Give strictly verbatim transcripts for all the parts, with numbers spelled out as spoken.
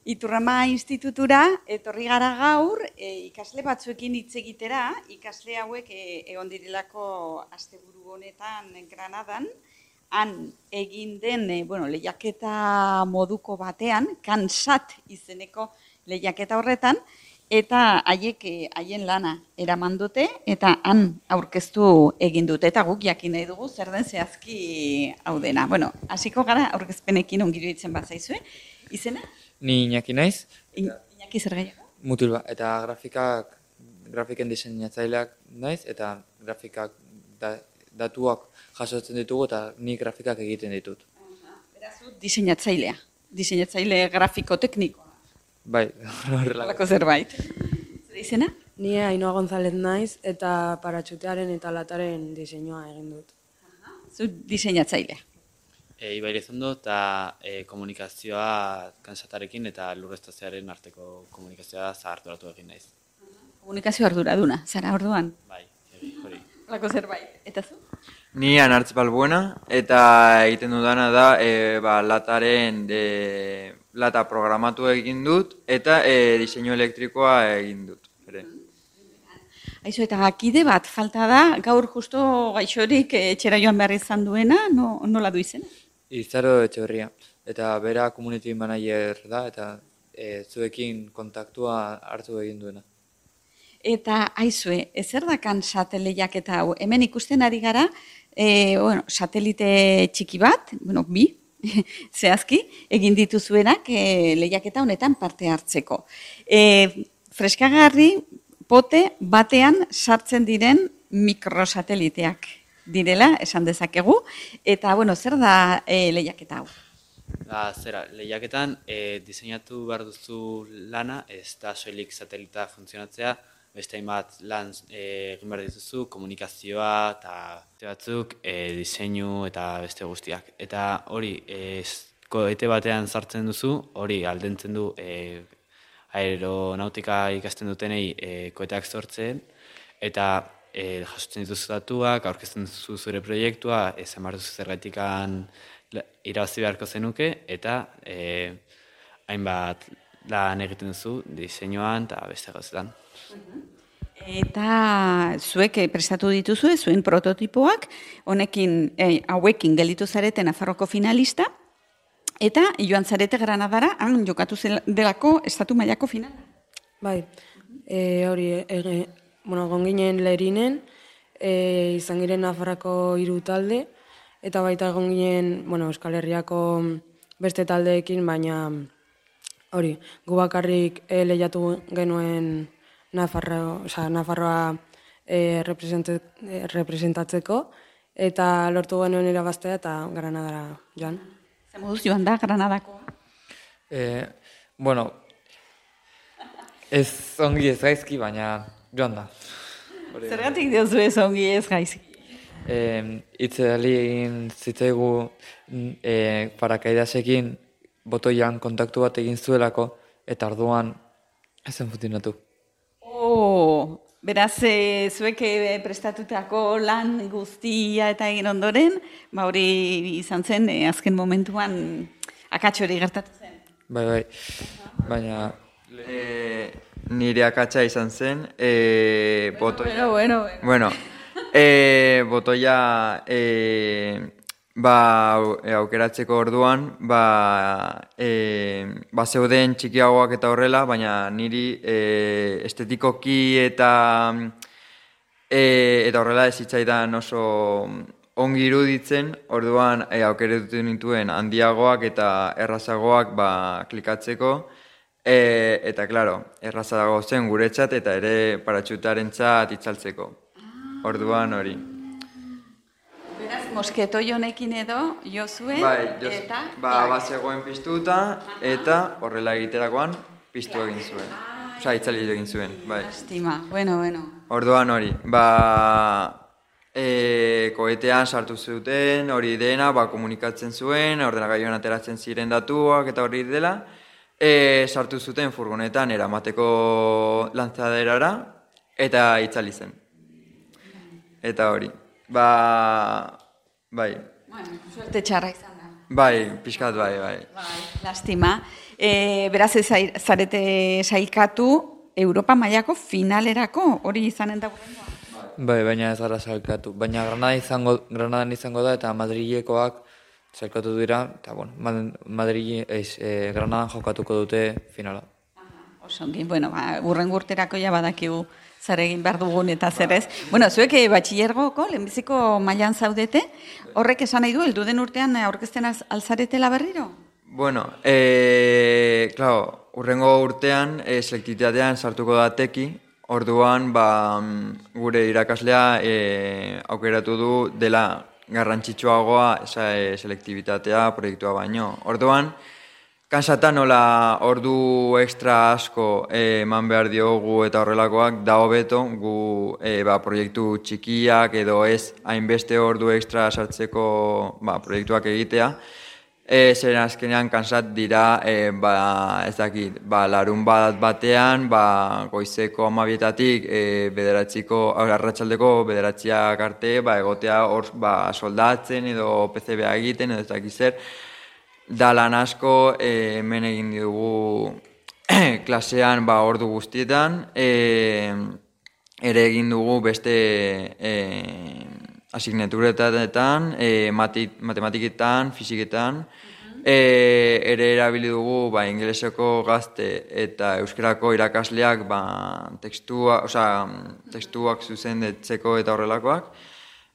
Iturrama institutura etorri gara gaur e, ikasle batzuekin hitz egitera, ikasle hauek e, egon direlako asteburu honetan Granadan, han egin den e, bueno, lehiaketa moduko batean, kansat izeneko lehiaketa horretan, eta haiek haien lana eraman dute eta han aurkeztu egin dute eta guk jakin nahi dugu zer den zehazki hau dena. Bueno, hasiko gara aurkezpenekin ongi iruditzen bazaizue. Izena? Ni Iñaki naiz. Iñaki zer gehiago? Mutilba eta grafikak grafiken diseinatzaileak naiz eta grafikak da, datuak jasotzen ditugu eta ni grafikak egiten ditut. Beraz, diseinatzailea. Diseinatzaile grafiko teknikoa. Bai, horrelako zerbait. Zer izena? Ni Ainhoa González naiz eta paratxutearen eta lataren diseinua egin dut. Zu diseinatzailea. E, Ibai Elizondo eta e, komunikazioa kansatarekin eta lurreztatzearen arteko komunikazioa zaharturatu egin naiz. Komunikazio arduraduna, zara orduan? Bai, hori. Lako zerbait, eta zu? Ni Anartz Balbuena eta egiten dudana da e, ba, lataren de, lata programatu egin dut eta e, diseinu elektrikoa egin dut. Ere. Aizu, eta kide bat falta da, gaur justo gaixorik etxera joan behar izan duena, no, nola du izena? Izaro Etxeberria, eta bera community manager da, eta e, zuekin kontaktua hartu egin duena. Eta aizue, ezer da kansat lehiaketa hau? Hemen ikusten ari gara, e, bueno, satelite txiki bat, bueno, bi, zehazki, egin dituzuenak e, lehiaketa honetan parte hartzeko. E, freskagarri, pote batean sartzen diren mikrosateliteak direla, esan dezakegu, eta, bueno, zer da e, lehiaketa hau? Da, zera, lehiaketan e, diseinatu behar duzu lana, ez da soilik satelita funtzionatzea, beste hainbat lan e, egin behar dituzu, komunikazioa eta batzuk e, diseinu eta beste guztiak. Eta hori, e, koete batean sartzen duzu, hori aldentzen du e, aeronautika ikasten dutenei e, koeteak sortzen, eta e, jasotzen dituzu datuak, aurkezten duzu zure proiektua, esan behar duzu zergatikan irabazi beharko zenuke, eta e, hainbat lan egiten duzu diseinuan eta beste gauzetan. Eta zuek prestatu dituzue, zuen prototipoak, honekin, eh, hauekin gelditu zarete Nafarroko finalista, eta joan zarete Granadara, han jokatu delako estatu mailako finala. Bai, e, hori, e, bueno, gonginen Lerinen, e, izan giren Nafarrako hiru talde, eta baita egon ginen, bueno, Euskal Herriako beste taldeekin, baina hori, gu bakarrik e, lehiatu genuen Nafarro, oza, Nafarroa e, representatzeko, eta lortu genuen irabaztea eta Granadara joan. Zer moduz joan da Granadako? E, bueno, ez ongi ez gaizki, baina joan da. Zergatik diozu ez ongi ez gaizki? Itzali egin zitzaigu e, parakaidasekin botoian kontaktu bat egin zuelako, eta orduan ezen funtzionatu. Oh, beraz, e, zuek e, prestatutako lan guztia eta egin ondoren, ba hori izan zen, e, azken momentuan akatxo hori gertatu zen. Bai, bai, baina... E, nire akatsa izan zen, e, botoia... Bueno, bueno, bueno. Bueno, e, botoia... E, ba, aukeratzeko orduan, ba, e, ba zeuden txikiagoak eta horrela, baina niri e, estetikoki eta e, eta horrela ez zitzaidan oso ongi iruditzen, orduan e, aukeratu nituen handiagoak eta errazagoak ba, klikatzeko, e, eta klaro, errazago zen guretzat eta ere paratxutarentzat itzaltzeko. Orduan hori. Beraz, mosketoi honekin edo, jo zuen, bai, jos, eta... Ba, ba zegoen piztuta, eta horrela egiterakoan piztu egin zuen. Osa, itzali egin zuen, bai. Lastima, bueno, bueno. Orduan hori, ba... E, koetean sartu zuten, hori dena, ba, komunikatzen zuen, ordenagailuan ateratzen ziren datuak eta hori dela, e, sartu zuten furgonetan eramateko lantzaderara, eta itzali zen. Eta hori. Ba, bai. Bueno, suerte txarra izan da. Bai, pixkat bai, bai. Bai, lastima. E, beraz, ez zai- zarete sailkatu Europa mailako finalerako, hori izanen da gurrengoa. Bai, baina ez gara sailkatu. Baina Granada izango, Granadan izango da eta Madrilekoak sailkatu dira, eta bueno, Madrid, ez, eh, Granadan jokatuko dute finala. Osongi, bueno, ba, urren urterako ja badakigu zer egin behar dugun eta zer ez. Bueno, zuek eh, batxilergoko, lehenbiziko mailan zaudete, horrek esan nahi du, heldu den urtean aurkezten az- alzaretela berriro? Bueno, eh, claro, urrengo urtean, eh, selektitatean sartuko da teki, orduan, ba, mm, gure irakaslea eh, aukeratu du dela garrantzitsuagoa esa, eh, selektibitatea proiektua baino. Orduan, kansata nola ordu extra asko eh, eman behar diogu eta horrelakoak da hobeto gu eh, ba, proiektu txikiak edo ez hainbeste ordu extra sartzeko ba, proiektuak egitea. E, zeren azkenean kansat dira, e, ba, ez dakit, ba, larun bat batean, ba, goizeko amabietatik, e, bederatziko, arratsaldeko bederatziak arte, ba, egotea hor, ba, soldatzen edo P C B egiten edo ez dakit zer. Da lan asko, e, hemen egin dugu klasean, ba, ordu guztietan, e, ere egin dugu beste e, asignaturetan, e, matematiketan, fiziketan, e, ere erabili dugu ba, ingeleseko gazte eta euskerako irakasleak ba, tekstua, osea, tekstuak zuzendetzeko eta horrelakoak.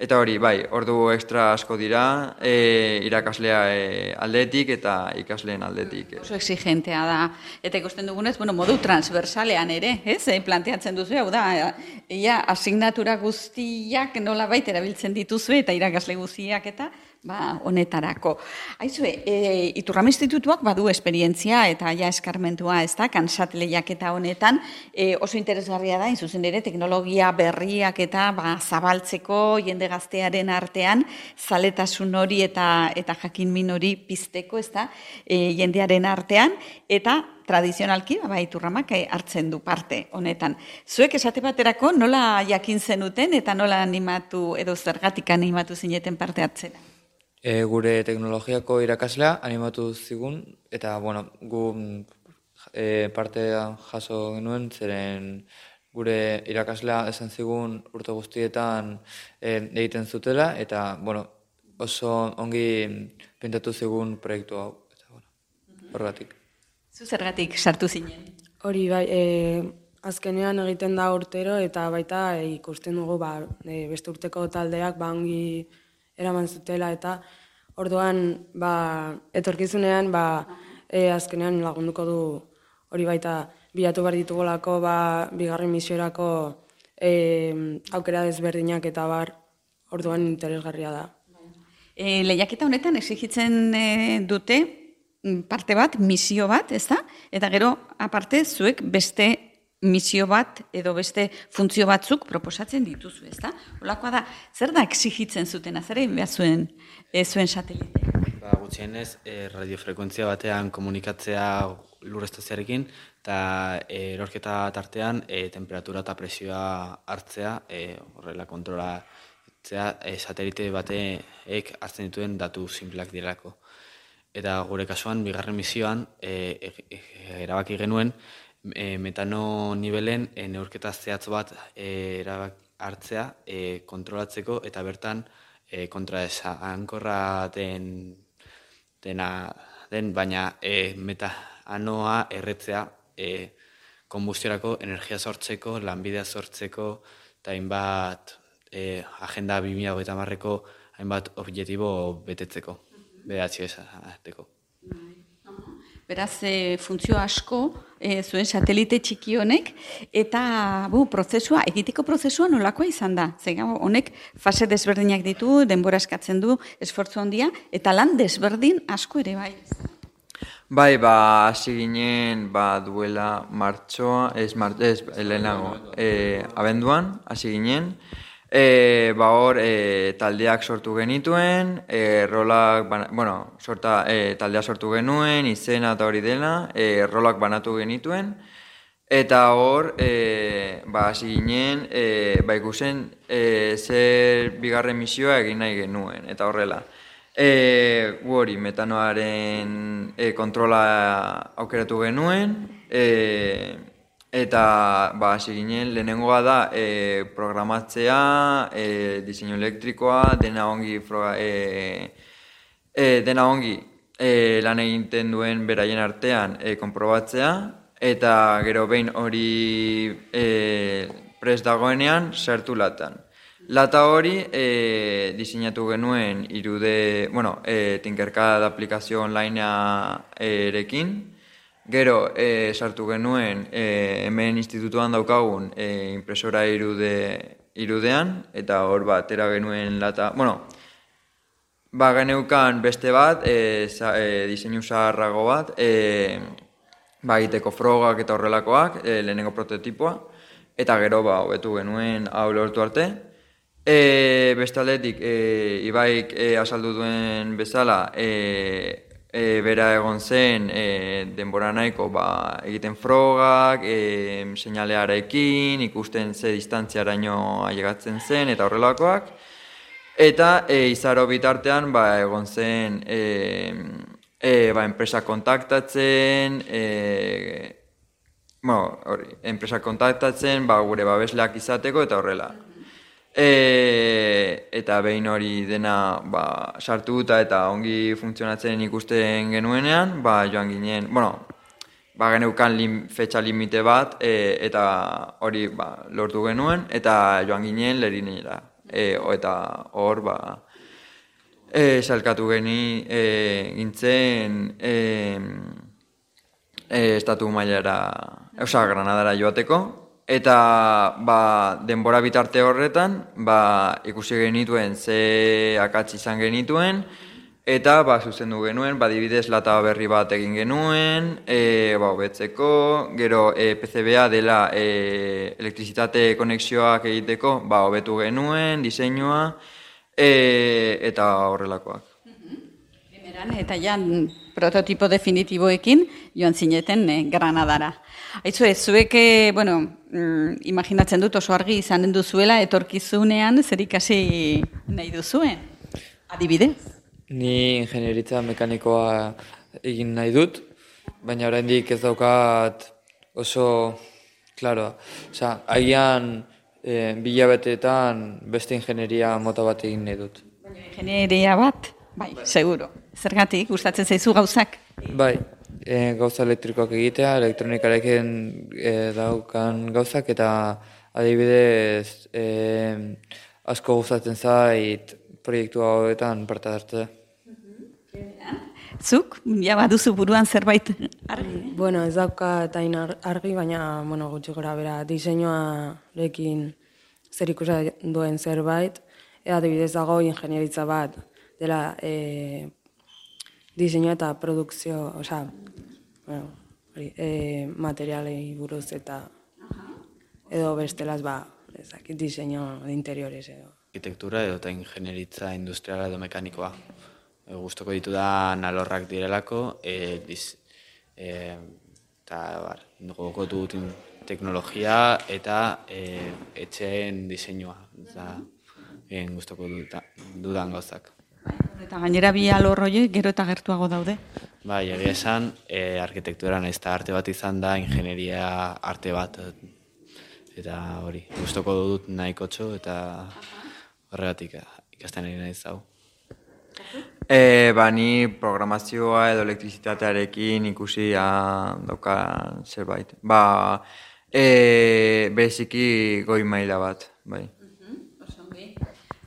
Eta hori, bai, ordu extra asko dira, e, irakaslea e, aldetik eta ikasleen aldetik. Oso exigentea da. Eta ikusten dugunez, bueno, modu transversalean ere, ez? E, planteatzen duzu, hau da, ia asignatura guztiak nola baita erabiltzen dituzu eta irakasle guztiak eta ba, honetarako. Aizue, e, Iturrama Institutuak badu esperientzia eta ja eskarmentua, ez da, kansat lehiaketa honetan, e, oso interesgarria da, inzuzen ere, teknologia berriak eta ba, zabaltzeko jende gaztearen artean, zaletasun hori eta eta jakinmin hori pizteko, ez da, e, jendearen artean, eta tradizionalki, ba, Iturramak hartzen du parte honetan. Zuek esate baterako nola jakin zenuten eta nola animatu edo zergatik animatu zineten parte hartzera? E, gure teknologiako irakaslea animatu zigun, eta bueno, gu e, partean jaso genuen, zeren gure irakaslea esan zigun urte guztietan e, egiten zutela, eta bueno, oso ongi pintatu zigun proiektu hau, eta bueno, horregatik. Zu zergatik sartu zinen? Hori bai, e, azkenean egiten da urtero eta baita e, ikusten dugu ba, e, beste urteko taldeak ba, ongi eraman zutela eta orduan ba, etorkizunean ba, e, azkenean lagunduko du hori baita bilatu behar ditugolako ba, bigarren misiorako e, aukera desberdinak eta bar orduan interesgarria da. E, lehiaketa honetan exigitzen e, dute parte bat, misio bat, ez da? Eta gero, aparte, zuek beste misio bat edo beste funtzio batzuk proposatzen dituzu, ez da? Olakoa da, zer da exigitzen zutena, zer egin behar zuen, e, zuen sateliteak? Ba, gutxienez, e, radiofrekuentzia batean komunikatzea lurrestazioarekin, eta e, erorketa tartean e, temperatura eta presioa hartzea, e, horrela kontrolatzea, e, satelite bateek hartzen dituen datu sinpleak direlako. Eta gure kasuan, bigarren misioan, e, e, erabaki genuen, e, metano nibelen e, neurketa zehatz bat e, erabak hartzea e, kontrolatzeko eta bertan e, kontra esankorra den, dena, den baina e, metanoa erretzea e, konbustiorako energia sortzeko, lanbidea sortzeko eta hainbat e, agenda bi mila hogeita hamarreko hainbat objektibo betetzeko. Behatzi esateko. Beraz, e, funtzio asko e, zuen satelite txiki honek, eta bu, prozesua, egiteko prozesua nolakoa izan da. Zer, honek fase desberdinak ditu, denbora eskatzen du, esfortzu handia, eta lan desberdin asko ere bai. Bai, ba, hasi ginen, ba, duela martxoa, ez, mart, ez, lehenago, e, abenduan, hasi ginen, E, ba hor, e, taldeak sortu genituen, e, rolak, bana, bueno, sorta, e, taldea sortu genuen, izena eta hori dela, e, rolak banatu genituen, eta hor, e, ba, hasi ginen, e, ba, ikusen, e, zer bigarren misioa egin nahi genuen, eta horrela. E, gu hori, metanoaren e, kontrola aukeratu genuen, e, eta ba, hasi ginen, lehenengoa da e, programatzea, e, diseinu elektrikoa, dena ongi, froga, e, e, dena ongi e, lan egiten duen beraien artean e, konprobatzea, eta gero behin hori e, prest dagoenean sartu latan. Lata hori e, diseinatu genuen irude, bueno, e, Tinkercad aplikazio onlinea erekin. Gero e, sartu genuen e, hemen institutuan daukagun e, impresora irude, irudean, eta hor bat atera genuen lata, bueno, ba geneukan beste bat, e, za, e, diseinu zaharrago bat, e, ba egiteko frogak eta horrelakoak, e, lehenengo prototipoa, eta gero ba hobetu genuen hau lortu arte. E, bestaldetik, e, Ibaik e, azaldu duen bezala, e, e, bera egon zen e, denbora nahiko ba, egiten frogak, e, seinalearekin, ikusten ze distantziaraino ailegatzen zen eta horrelakoak. Eta e, izaro bitartean ba, egon zen e, e, ba, enpresa kontaktatzen, e, bueno, hori, enpresa kontaktatzen ba, gure babesleak izateko eta horrela. E, eta behin hori dena ba, sartuta eta ongi funtzionatzen ikusten genuenean, ba, joan ginen, bueno, ba, geneukan lim, fetxa limite bat, e, eta hori ba, lortu genuen, eta joan ginen lerinera. E, eta hor, ba, e, salkatu geni e, gintzen e, e, estatu mailara, oza, Granadara joateko. Eta ba, denbora bitarte horretan ba, ikusi genituen ze akatz izan genituen, eta ba, zuzendu genuen, ba, adibidez lata berri bat egin genuen, e, ba, hobetzeko, gero e, P C B A dela e, elektrizitate konexioak egiteko, ba, hobetu genuen, diseinua, e, eta horrelakoak. Primeran, eta jan prototipo definitiboekin joan zineten eh, Granadara. Aizu ez, zuek, bueno, mm, imaginatzen dut oso argi izanen duzuela etorkizunean zer ikasi nahi duzuen, adibidez? Ni ingenieritza mekanikoa egin nahi dut, baina oraindik ez daukat oso, klaro, osea, agian e, bilabeteetan beste ingenieria mota bat egin nahi dut. Baina ingenieria bat? Bai, seguro. Zergatik, gustatzen zaizu gauzak? Bai, e, gauza elektrikoak egitea, elektronikarekin e, daukan gauzak, eta adibidez e, asko gustatzen zait proiektu hauetan parte hartzea. Zuk, ja baduzu buruan zerbait argi? Bueno, ez dauka eta argi, baina bueno, gutxi gora bera diseinuarekin zer ikusa duen zerbait, eta adibidez dago ingenieritza bat dela e, diseinua eta produkzio, osea, bueno, e, materialei buruz eta edo bestelaz ba, ezakit diseinu de interiores edo. Arkitektura edo eta ingenieritza industriala edo mekanikoa. E, Gustoko ditudan alorrak direlako, e, diz, e, eta bar, gogoko dut teknologia eta e, etxeen diseinua. Eta e, gustoko dudan gauzak. Eta gainera bi alor horiek gero eta gertuago daude. Bai, egia esan, e, arkitektura nahiz eta arte bat izan da, ingenieria arte bat. Eta hori, gustoko dut nahikotxo eta horregatik ikasten ari nahiz hau. E, ba, ni programazioa edo elektrizitatearekin ikusi dauka zerbait. Ba, e, beziki goi maila bat, bai.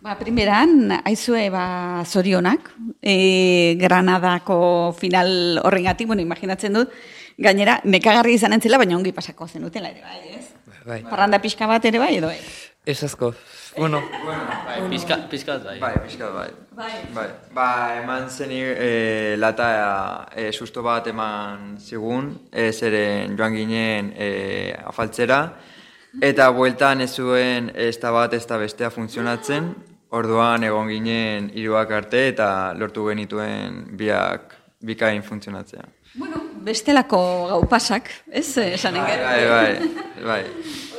Ba, primeran, aizue, ba, zorionak, e, Granadako final horrengatik, bueno, imaginatzen dut, gainera, nekagarri izan entzela, baina ongi pasako zenutela ere, bai, ez? Bai. Parranda pixka bat ere, bai, edo, bai? Ez asko, bueno. Bai, pizka, pizkat bai. Bai, pixka bai. Bai. Bai. Ba, eman zeni e, lata e, susto bat eman zigun, e, zeren joan ginen e, afaltzera, eta bueltan ez zuen ez da bat ez da bestea funtzionatzen, orduan egon ginen hiruak arte eta lortu genituen biak bikain funtzionatzea. Bueno, bestelako gau pasak, ez? Esanen Bai, gero. bai, bai, bai.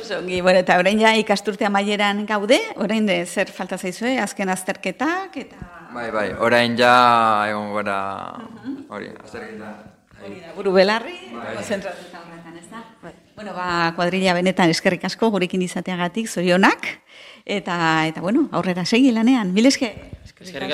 Oso ongi, bueno, eta orain ja ikasturte amaieran gaude, orain de zer falta zaizue, azken azterketak, eta... Bai, bai, orain ja egon gara hori, azterketa. Hori da, buru belarri, konzentratuta horretan, ez da? Bueno, ba, kuadrilla benetan eskerrik asko gurekin izateagatik, zorionak, eta, eta bueno, aurrera segi lanean, mil esker. Eskerrik asko.